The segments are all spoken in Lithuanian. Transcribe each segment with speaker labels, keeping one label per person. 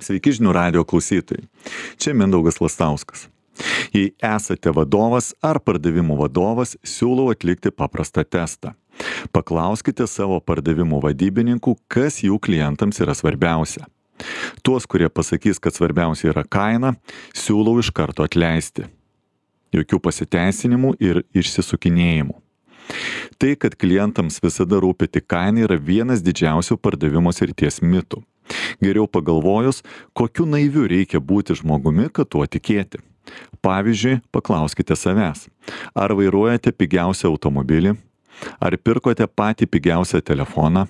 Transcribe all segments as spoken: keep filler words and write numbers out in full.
Speaker 1: Sveiki žinių radijo klausytojai. Čia Mindaugas Lastauskas. Jei esate vadovas ar pardavimų vadovas, siūlau atlikti paprastą testą. Paklauskite savo pardavimų vadybininkų, kas jų klientams yra svarbiausia. Tuos, kurie pasakys, kad svarbiausia yra kaina, siūlau iš karto atleisti. Jokių pasiteisinimų ir išsisukinėjimų. Tai, kad klientams visada rūpi tik kaina, yra vienas didžiausių pardavimo srities mitų. Geriau pagalvojus, kokiu naiviu reikia būti žmogumi, kad tuo tikėti. Pavyzdžiui, paklauskite savęs, ar vairuojate pigiausią automobilį, ar pirkote patį pigiausią telefoną,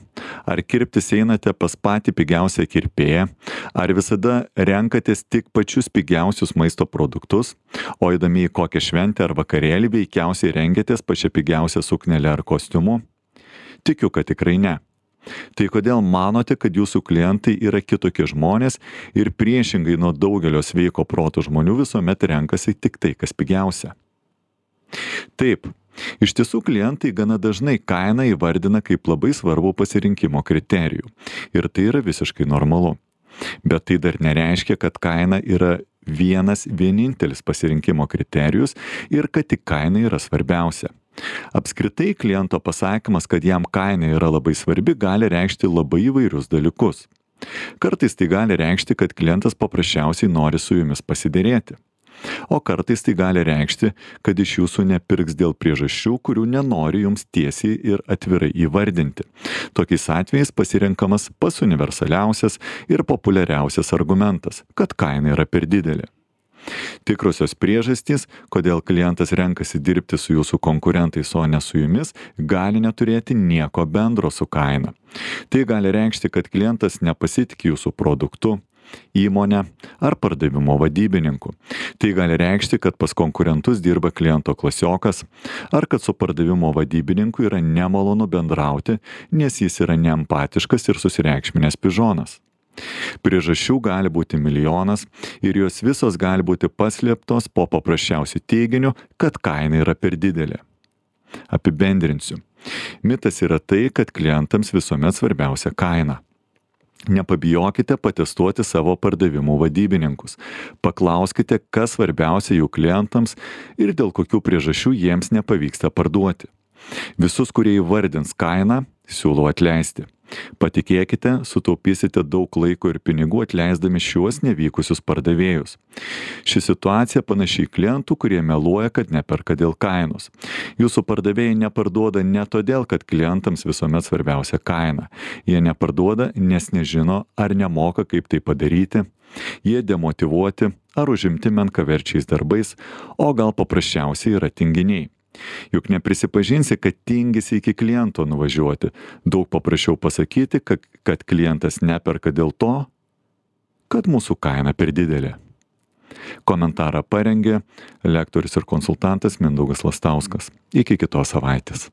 Speaker 1: ar kirptis einate pas patį pigiausią kirpėją, ar visada renkatės tik pačius pigiausius maisto produktus, o eidami į kokią šventę ar vakarėlį veikiausiai rengiatės pačią pigiausią suknelę ar kostiumu? Tikiu, kad tikrai ne. Tai kodėl manote, kad jūsų klientai yra kitokie žmonės ir priešingai nuo daugelio sveiko proto žmonių visuomet renkasi tik tai, kas pigiausia? Taip, iš tiesų klientai gana dažnai kainą įvardina kaip labai svarbų pasirinkimo kriterijų. Ir tai yra visiškai normalu. Bet tai dar nereiškia, kad kaina yra vienas vienintelis pasirinkimo kriterijus ir kad tik kaina yra svarbiausia. Apskritai kliento pasakymas, kad jam kaina yra labai svarbi, gali reikšti labai įvairius dalykus. Kartais tai gali reikšti, kad klientas paprasčiausiai nori su jumis pasiderėti. O kartais tai gali reikšti, kad iš jūsų nepirks dėl priežasčių, kurių nenori jums tiesiai ir atvirai įvardinti. Tokiais atvejais pasirenkamas pats universaliausias ir populiariausias argumentas, kad kaina yra per didelė. Tikrosios priežastys, kodėl klientas renkasi dirbti su jūsų konkurentais, o ne su jumis, gali neturėti nieko bendro su kaina. Tai gali reikšti, kad klientas nepasitikė jūsų produktu, įmonę ar pardavimo vadybininku. Tai gali reikšti, kad pas konkurentus dirba kliento klasiokas, ar kad su pardavimo vadybininku yra nemalonu bendrauti, nes jis yra neempatiškas ir susireikšminęs pižonas. Priežasčių gali būti milijonas ir jos visos gali būti paslėptos po paprasčiausių teiginių, kad kaina yra per didelė. Apibendrinsiu. Mitas yra tai, kad klientams visuomet svarbiausia kaina. Nepabijokite patestuoti savo pardavimų vadybininkus. Paklauskite, kas svarbiausia jų klientams ir dėl kokių priežasčių jiems nepavyksta parduoti. Visus, kurie įvardins kainą, siūlau atleisti. Patikėkite, sutaupysite daug laiko ir pinigų atleisdami šiuos nevykusius pardavėjus. Ši situacija panašiai klientų, kurie meluoja, kad neperka dėl kainos. Jūsų pardavėjai neparduoda ne todėl, kad klientams visuomet svarbiausia kaina. Jie neparduoda, nes nežino ar nemoka, kaip tai padaryti. Jie demotyvuoti ar užimti menkaverčiais darbais, o gal paprasčiausiai yra tinginiai. Juk neprisipažinsi, kad tingisi iki kliento nuvažiuoti. Daug paprasčiau pasakyti, kad, kad klientas neperka dėl to, kad mūsų kaina per didelė. Komentarą parengė lektorius ir konsultantas Mindaugas Lastauskas. Iki kitos savaitės.